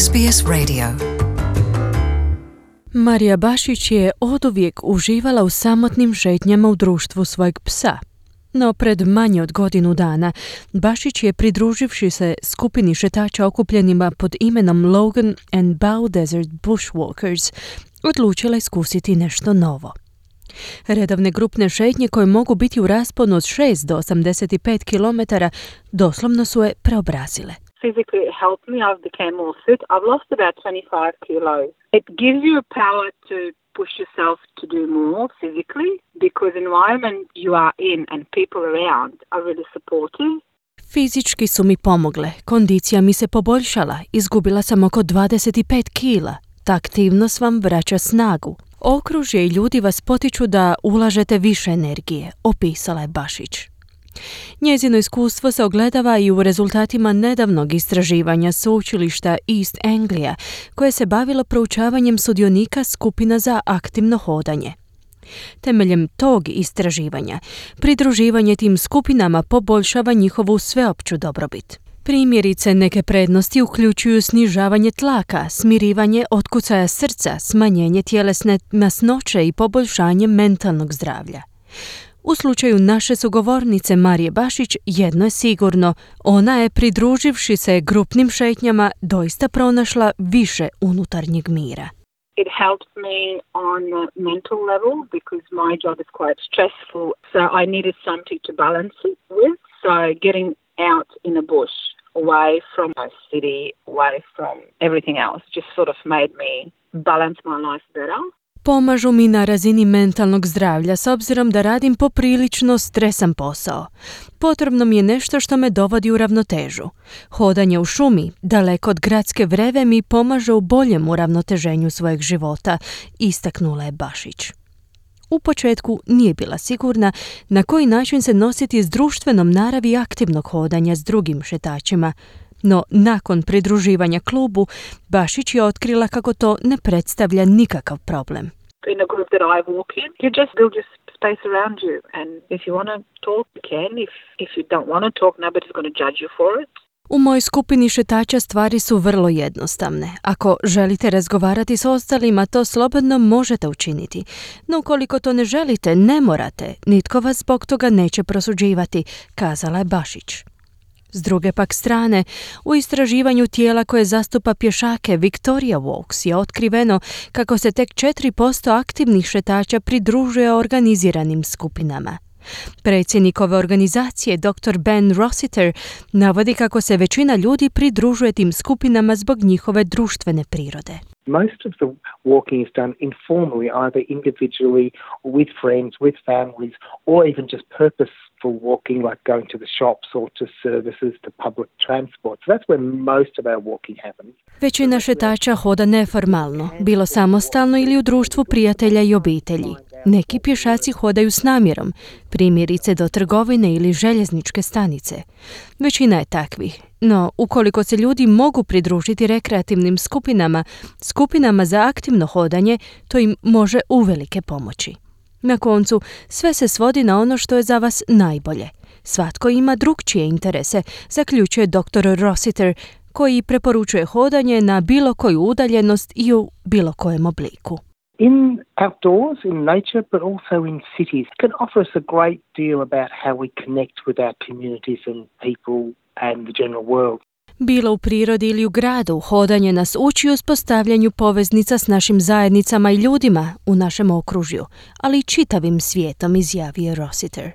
SBS Radio. Marija Bašić je oduvijek uživala u samotnim šetnjama u društvu svojeg psa. No pred manje od godinu dana Bašić je, pridruživši se skupini šetača okupljenima pod imenom Logan and Bow Desert Bushwalkers, odlučila iskusiti nešto novo. Redovne grupne šetnje koje mogu biti u rasponu od 6 do 85 km doslovno su je preobrazile. Physically it helped me. I became more fit. I've lost about 25 kilos. It gives you a power to push yourself to do more physically because the environment you are in and people around are really supportive. Fizički su mi pomogle, kondicija mi se poboljšala, izgubila sam oko 25 kila. Ta aktivnost vam vraća snagu. Okružje i ljudi vas potiču da ulažete više energije, opisala je Bašić. Njezino iskustvo se ogledava i u rezultatima nedavnog istraživanja sveučilišta East Anglia, koje se bavilo proučavanjem sudionika skupina za aktivno hodanje. Temeljem tog istraživanja, pridruživanje tim skupinama poboljšava njihovu sveopću dobrobit. Primjerice, neke prednosti uključuju snižavanje tlaka, smirivanje otkucaja srca, smanjenje tjelesne masnoće i poboljšanje mentalnog zdravlja. U slučaju naše sugovornice Marije Bašić jedno je sigurno, ona je, pridruživši se grupnim šetnjama, doista pronašla više unutarnjeg mira. It helps me on a mental level because my job is quite stressful, so I needed something to balance it with. So getting out in the bush, away from my city, away from everything else, just sort of made me balance my life better. Pomažu mi na razini mentalnog zdravlja s obzirom da radim poprilično stresan posao. Potrebno mi je nešto što me dovodi u ravnotežu. Hodanje u šumi, daleko od gradske vreve, mi pomaže u boljem uravnoteženju svojeg života, istaknula je Bašić. U početku nije bila sigurna na koji način se nositi s društvenom naravi aktivnog hodanja s drugim šetačima, no nakon pridruživanja klubu, Bašić je otkrila kako to ne predstavlja nikakav problem. In the group that I walk in, you just build your space around you, and if you want to talk, you can. If you don't want to talk, nobody's going to judge you for it. U mojoj skupini šetača stvari su vrlo jednostavne. Ako želite razgovarati s ostalima, to slobodno možete učiniti. No ukoliko to ne želite, ne morate. Nitko vas zbog toga neće prosuđivati, kazala je Bašić. S druge pak strane, u istraživanju tijela koje zastupa pješake Victoria Walks je otkriveno kako se tek 4% aktivnih šetača pridružuje organiziranim skupinama. Predsjednik ove organizacije, dr. Ben Rossiter, navodi kako se većina ljudi pridružuje tim skupinama zbog njihove društvene prirode. Most of the walking is done informally, either individually or with friends, with families, or even just purposeful walking like going to the shops or to services, to public transport. So that's where most of our walking happens. Većina šetača hoda neformalno, bilo samostalno ili u društvu prijatelja i obitelji. Neki pješaci hodaju s namjerom, primjerice do trgovine ili željezničke stanice. Većina je takvih, no ukoliko se ljudi mogu pridružiti rekreativnim skupinama za aktivno hodanje, to im može uvelike pomoći. Na koncu, sve se svodi na ono što je za vas najbolje. Svatko ima drukčije interese, zaključuje dr. Rossiter, koji preporučuje hodanje na bilo koju udaljenost i u bilo kojem obliku. In outdoors, in nature, but also in cities, can offer us a great deal about how we connect with our communities and people and the general world. Bilo u prirodi ili u gradu, hodanje nas uči uspostavljanju poveznica s našim zajednicama i ljudima u našem okružju, ali i čitavim svijetom, izjavio Rossiter.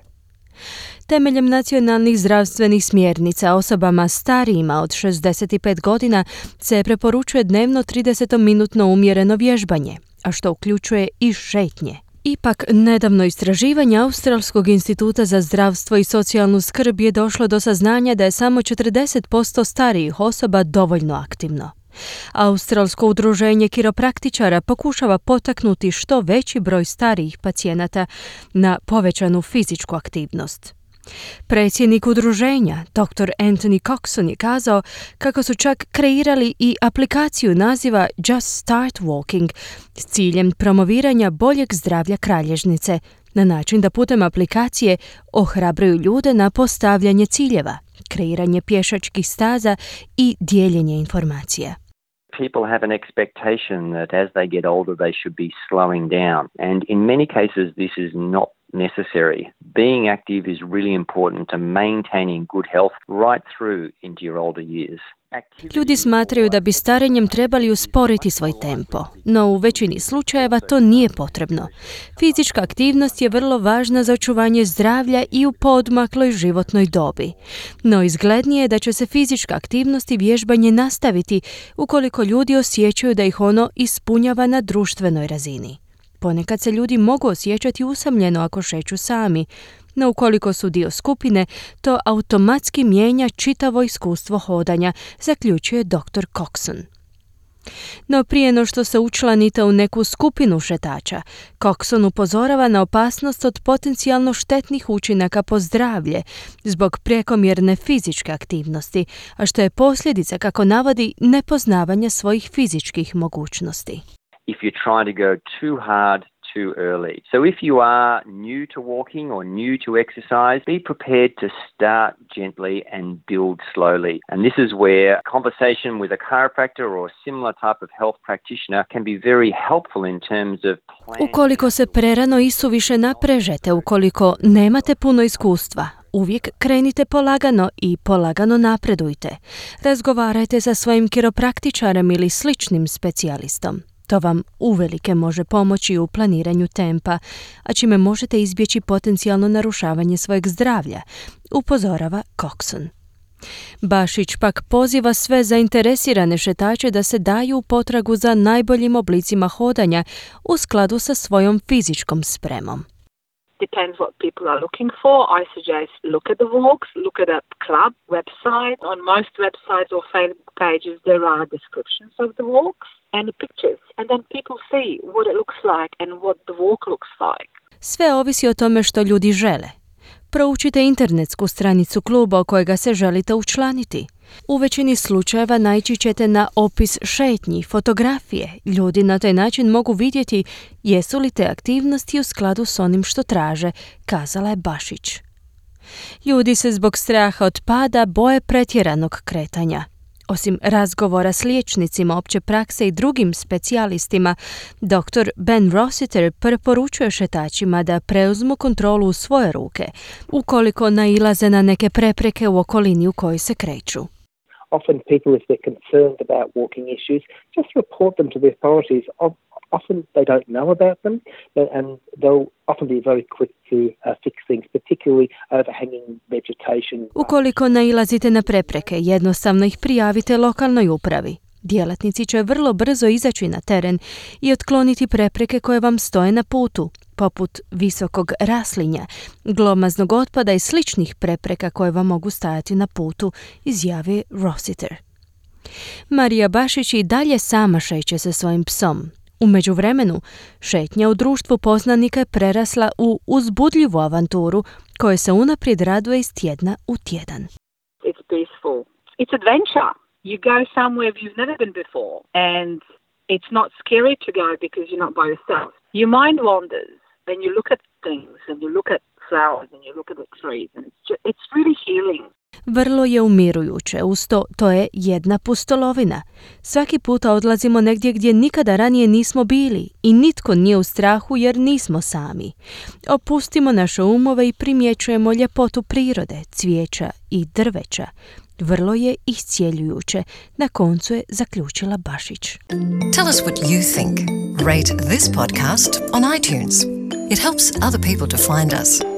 Temeljem nacionalnih zdravstvenih smjernica osobama starijima od 65 godina se preporučuje dnevno 30-minutno umjereno vježbanje, a što uključuje i šetnje. Ipak, nedavno istraživanje Australskog instituta za zdravstvo i socijalnu skrb je došlo do saznanja da je samo 40% starijih osoba dovoljno aktivno. Australsko udruženje kiropraktičara pokušava potaknuti što veći broj starijih pacijenata na povećanu fizičku aktivnost. Predsjednik udruženja, dr. Anthony Coxon, je kazao kako su čak kreirali i aplikaciju naziva Just Start Walking s ciljem promoviranja boljeg zdravlja kralježnice, na način da putem aplikacije ohrabruju ljude na postavljanje ciljeva, kreiranje pješačkih staza i dijeljenje informacija. people have an expectation that as they get older, they should be slowing down. And in many cases, this is not necessary. Being active is really important to maintaining good health right through into your older years. Ljudi smatraju da bi starenjem trebali usporiti svoj tempo, no u većini slučajeva to nije potrebno. Fizička aktivnost je vrlo važna za očuvanje zdravlja i u poodmakloj životnoj dobi. No izglednije je da će se fizička aktivnost i vježbanje nastaviti ukoliko ljudi osjećaju da ih ono ispunjava na društvenoj razini. Ponekad se ljudi mogu osjećati usamljeno ako šeću sami, no ukoliko su dio skupine, to automatski mijenja čitavo iskustvo hodanja, zaključuje dr. Coxon. No prije no što se učlanite u neku skupinu šetača, Coxon upozorava na opasnost od potencijalno štetnih učinaka po zdravlje zbog prekomjerne fizičke aktivnosti, a što je posljedica, kako navodi, nepoznavanja svojih fizičkih mogućnosti. If you try to go too hard too early. So if you are new to walking or new to exercise, be prepared to start gently and build slowly. And this is where conversation with a chiropractor or a similar type of health practitioner can be very helpful in terms of planning. Ukoliko se prerano i suviše naprežete, ukoliko nemate puno iskustva, uvijek krenite polagano i polagano napredujte. Razgovarajte sa svojim kiropraktičarem ili sličnim specijalistom. To vam uvelike može pomoći u planiranju tempa, a čime možete izbjeći potencijalno narušavanje svojeg zdravlja, upozorava Coxon. Bašić pak poziva sve zainteresirane šetače da se daju u potragu za najboljim oblicima hodanja u skladu sa svojom fizičkom spremom. Depends what people are looking for. I suggest look at the walks, look at a club website. On most websites or Facebook pages there are descriptions of the walks and pictures. And then people see what it looks like and what the walk looks like. Sve ovisi o tome što ljudi žele. Proučite internetsku stranicu kluba u kojega se želite učlaniti. U većini slučajeva naići ćete na opis šetnji, fotografije. Ljudi na taj način mogu vidjeti jesu li te aktivnosti u skladu s onim što traže, kazala je Bašić. Ljudi se zbog straha od pada boje pretjeranog kretanja. Osim razgovora s liječnicima opće prakse i drugim specijalistima, dr. Ben Rossiter preporučuje šetačima da preuzmu kontrolu u svoje ruke, ukoliko nailaze na neke prepreke u okolini u kojoj se kreću. Often people, if they're concerned about walking issues, just report them to the authorities. Often they don't know about them, and they'll often be very quick to fix things, particularly overhanging vegetation. Ukoliko nailazite na prepreke, jednostavno ih prijavite lokalnoj upravi. Djelatnici će vrlo brzo izaći na teren i otkloniti prepreke koje vam stoje na putu, poput visokog raslinja, glomaznog otpada i sličnih prepreka koje vam mogu stajati na putu, izjavio Rossiter. Marija Bašić i dalje sama šeće sa svojim psom. U međuvremenu, šetnja u društvu poznanika je prerasla u uzbudljivu avanturu koje se unaprijed raduje iz tjedna u tjedan. It's peaceful. It's adventure. You go somewhere you've never been before and it's not scary to go because you're not by yourself. Your mind wanders and you look at things and you look at flowers and you look at the trees and it's really healing. Vrlo je umirujuće, uz to je jedna pustolovina. Svaki puta odlazimo negdje gdje nikada ranije nismo bili i nitko nije u strahu jer nismo sami. Opustimo naše umove i primjećujemo ljepotu prirode, cvijeća i drveća. Vrlo je iscijeljujuće, na koncu je zaključila Bašić. Tell us what you think. Rate this podcast on iTunes. It helps other people to find us.